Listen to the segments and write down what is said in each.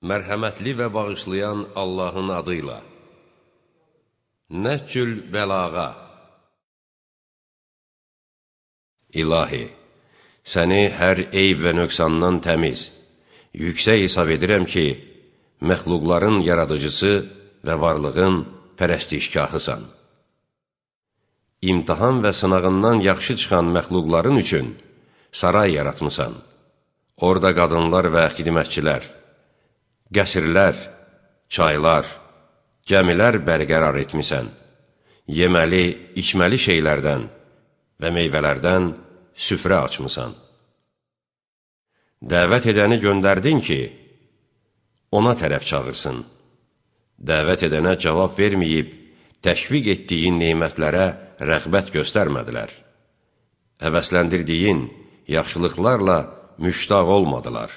Mərhəmətli və bağışlayan Allahın adıyla. Nəhcül bəlağa. İlahi, səni hər eyb və nöqsandan təmiz, yüksək hesab edirəm ki, məxluqların yaradıcısı və varlığın pərəstişgahısan. İmtahan və sınağından yaxşı çıxan məxluqların üçün saray yaratmısan. Orada qadınlar və xidmətçilər, qəsrlər, çaylar, gəmilər bərqərar etmisən. Yeməli, içməli şeylərdən və meyvələrdən süfrə açmısan. Dəvət edəni göndərdin ki, ona tərəf çağırsın. Dəvət edənə cavab verməyib, təşviq etdiyin neymətlərə rəğbət göstərmədilər. Həvəsləndirdiyin yaxşılıqlarla müştaq olmadılar.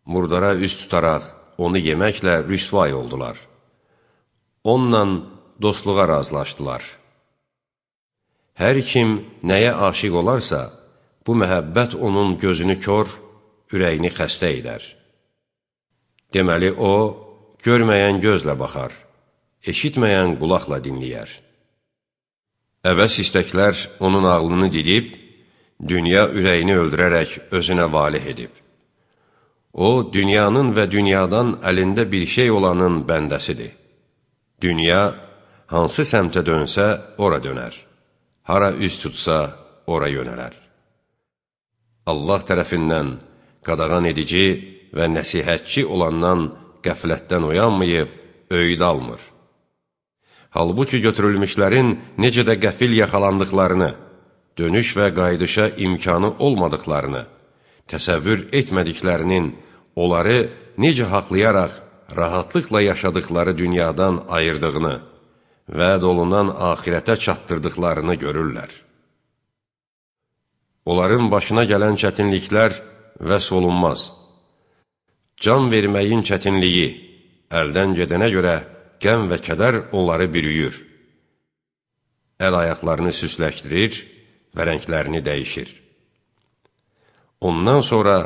Murdara üz tutaraq onu yeməklə rüsvay oldular. Onunla dostluğa razılaşdılar. Hər kim nəyə aşiq olarsa, bu məhəbbət onun gözünü kör, ürəyini xəstə edər. Deməli, o, görməyən gözlə baxar, eşitməyən qulaqla dinləyər. Əbəs istəklər onun ağlını didib, dünya ürəyini öldürərək özünə valih edib. O, dünyanın və dünyadan əlində bir şey olanın bəndəsidir. Dünya, hansı səmtə dönsə, ora dönər. Hara üz tutsa, ora yönələr. Allah tərəfindən qadağan edici və nəsihətçi olandan qəflətdən oyanmayıb, öyüd almır. Halbuki götürülmüşlərin necə də qəfil yaxalandıqlarını, dönüş və qaydışa imkanı olmadıqlarını, təsəvvür etmədiklərinin onları necə haqlayaraq rahatlıqla yaşadıqları dünyadan ayırdığını, vəd olunan axirətə çatdırdıqlarını görürlər. Onların başına gələn çətinliklər vəsf olunmaz. Can verməyin çətinliyi, əldən gedənə görə qəm və kədər onları bürüyür. Əl-ayaqlarını süsləşdirir və rənglərini dəyişir. Ondan sonra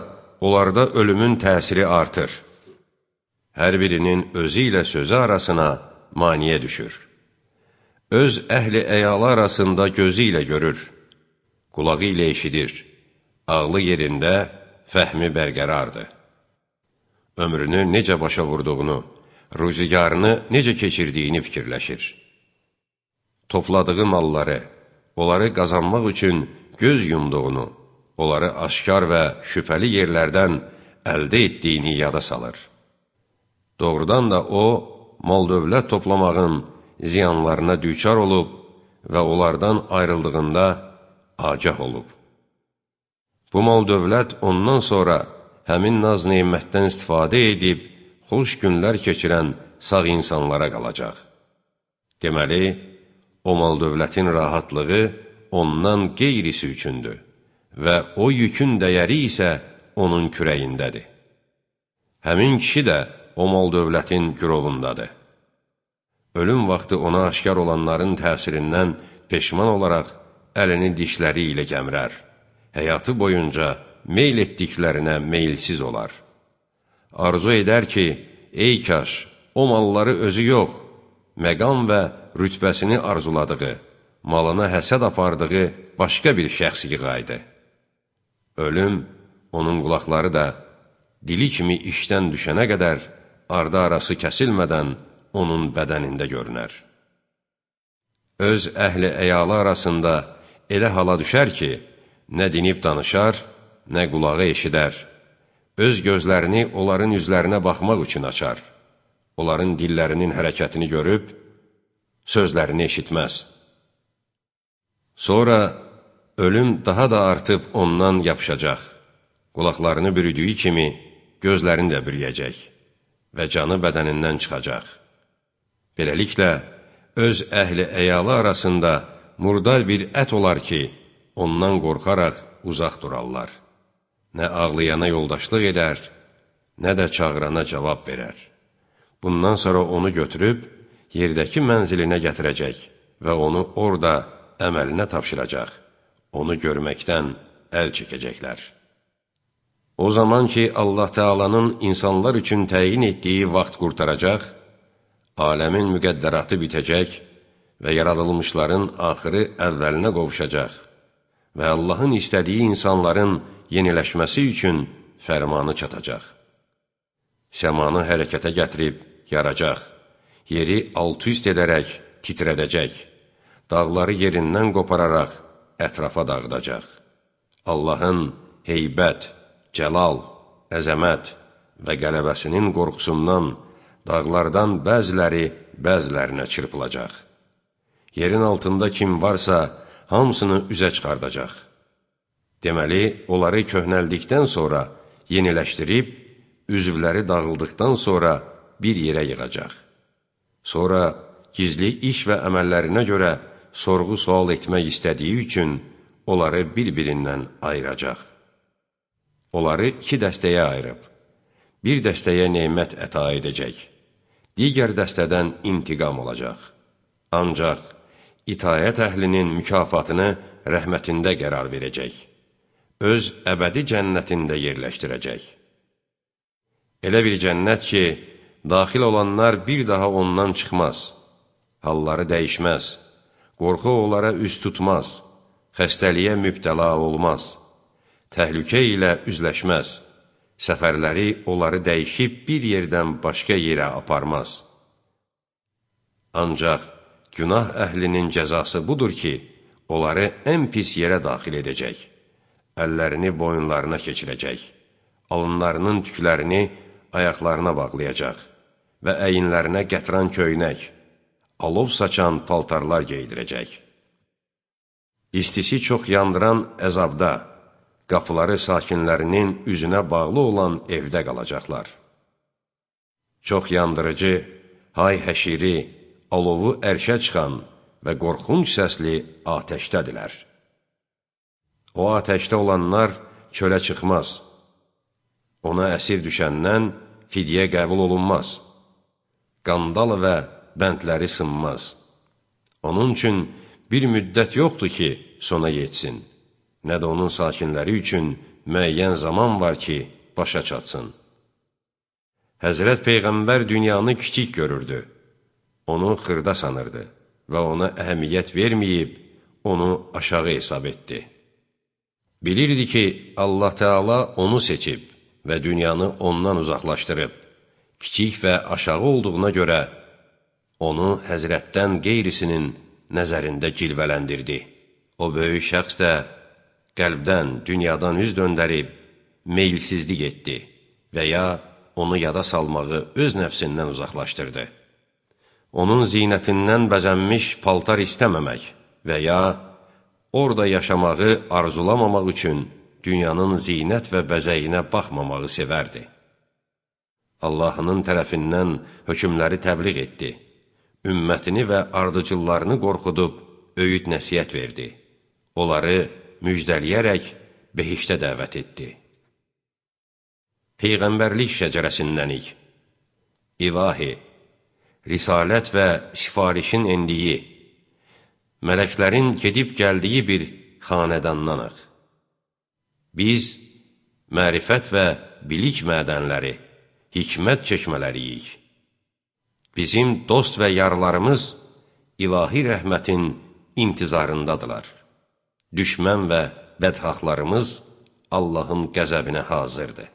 onlarda ölümün təsiri artır. Hər birinin özü ilə sözü arasına maniyə düşür. Öz əhli əyalı arasında gözü ilə görür, qulağı ilə eşidir, ağlı yerində, fəhmi bərqərardır. Ömrünü necə başa vurduğunu, ruzigarını necə keçirdiyini fikirləşir. Topladığı malları, onları qazanmaq üçün göz yumduğunu, onları aşkar və şübhəli yerlərdən əldə etdiyini yada salır. Doğrudan da o, mal-dövlət toplamağın ziyanlarına düçar olub və onlardan ayrıldığında agah olub. Bu mal-dövlət ondan sonra həmin naz-neymətdən istifadə edib, xoş günlər keçirən sağ insanlara qalacaq. Deməli, o mal-dövlətin rahatlığı ondan qeyrisi üçündür və o yükün dəyəri isə onun kürəyindədir. Həmin kişi də o mal-dövlətin gürovundadır. Ölüm vaxtı ona aşkar olanların təsirindən peşman olaraq əlini dişləri ilə gəmirər. Həyatı boyunca meyl etdiklərinə meylsiz olar. Arzu edər ki, ey kaş, o malları özü yox, məqam və rütbəsini arzuladığı, malına həsəd apardığı başqa bir şəxs yığaydı. Ölüm, onun qulaqları da dili kimi işdən düşənə qədər ardı arası kəsilmədən onun bədənində görünər. Öz əhli əyalı arasında elə hala düşər ki, nə dinib danışar, nə qulağı eşidər. Öz gözlərini onların üzlərinə baxmaq üçün açar. Onların dillərinin hərəkətini görüb, sözlərini eşitməz. Sonra ölüm daha da artıb ondan yapışacaq. Qulaqlarını bürüdüyü kimi gözlərini də bürüyəcək və canı bədənindən çıxacaq. Beləliklə, öz əhli əyalı arasında murdar bir ət olar ki, ondan qorxaraq uzaq durarlar. Nə ağlayana yoldaşlıq edər, nə də çağırana cavab verər. Bundan sonra onu götürüb, yerdəki mənzilinə gətirəcək və onu orada əməlinə tapşıracaq. Onu görməkdən əl çəkəcəklər. O zaman ki, Allah Teala'nın insanlar üçün təyin etdiyi vaxt qurtaracaq, aləmin müqəddəratı bitəcək və yaradılmışların axırı əvvəlinə qovuşacaq və Allahın istədiyi insanların yeniləşməsi üçün fərmanı çatacaq. Səmanı hərəkətə gətirib yaracaq, yeri alt-üst edərək titrədəcək, dağları yerindən qopararaq ətrafa dağıdacaq. Allahın heybət, cəlal, əzəmət və qələbəsinin qorxusundan dağlardan bəziləri bəzilərinə çırpılacaq. Yerin altında kim varsa, hamısını üzə çıxardacaq. Deməli, onları köhnəldikdən sonra yeniləşdirib, üzvləri dağıldıqdan sonra bir yerə yığacaq. Sonra gizli iş və əməllərinə görə sorğu-sual etmək istədiyi üçün onları bir-birindən ayıracaq. Onları iki dəstəyə ayırıb, bir dəstəyə nemət əta edəcək, digər dəstədən intiqam olacaq. Ancaq itayət əhlinin mükafatını rəhmətində qərar verəcək, öz əbədi cənnətində yerləşdirəcək. Elə bir cənnət ki, daxil olanlar bir daha ondan çıxmaz, halları dəyişməz, qorxu onlara üz tutmaz, xəstəliyə mübtəla olmaz, təhlükə ilə üzləşməz, səfərləri onları dəyişib bir yerdən başqa yerə aparmaz. Ancaq günah əhlinin cəzası budur ki, onları ən pis yerə daxil edəcək, əllərini boyunlarına keçirəcək, alınlarının tüklərini ayaqlarına bağlayacaq və əyinlərinə qətran köynək, alov saçan paltarlar geydirəcək. İstisi çox yandıran əzabda, qapıları sakinlərinin üzünə bağlı olan evdə qalacaqlar. Çox yandırıcı, hay-həşiri, alovu ərşə çıxan və qorxunc səsli atəşdədirlər. O atəşdə olanlar çölə çıxmaz, ona əsir düşəndən fidyə qəbul olunmaz, qandal və bəndləri sınmaz. Onun üçün bir müddət yoxdur ki, sona yetsin, nə də onun sakinləri üçün müəyyən zaman var ki, başa çatsın. Həzrət Peyğəmbər dünyanı kiçik görürdü, onu xırda sanırdı və ona əhəmiyyət verməyib, onu aşağı hesab etdi. Bilirdi ki, Allah Teala onu seçib və dünyanı ondan uzaqlaşdırıb, kiçik və aşağı olduğuna görə onu həzrətdən qeyrisinin nəzərində cilvələndirdi. O böyük şəxs də qəlbdən, dünyadan üz döndərib, meylsizlik etdi və ya onu yada salmağı öz nəfsindən uzaqlaşdırdı. Onun zinətindən bəzənmiş paltar istəməmək və ya orada yaşamağı arzulamamaq üçün dünyanın zinət və bəzəyinə baxmamağı sevərdi. Allahının tərəfindən hökmləri təbliğ etdi, ümmətini və ardıcıllarını qorxudub öyüd nəsiyyət verdi, onları müjdəliyərək behiştə dəvət etdi. Peyğəmbərlik şəcərəsindənik, İlahi, risalət və sifarişin endiyi, mələklərin gedib gəldiyi bir xanədandanıq. Biz mərifət və bilik mədənləri, hikmət çeşmələriyik. Bizim dost və yarlarımız ilahi rəhmətin intizarındadılar. Düşmən və bədxahlarımız Allahın qəzəbinə hazırdır.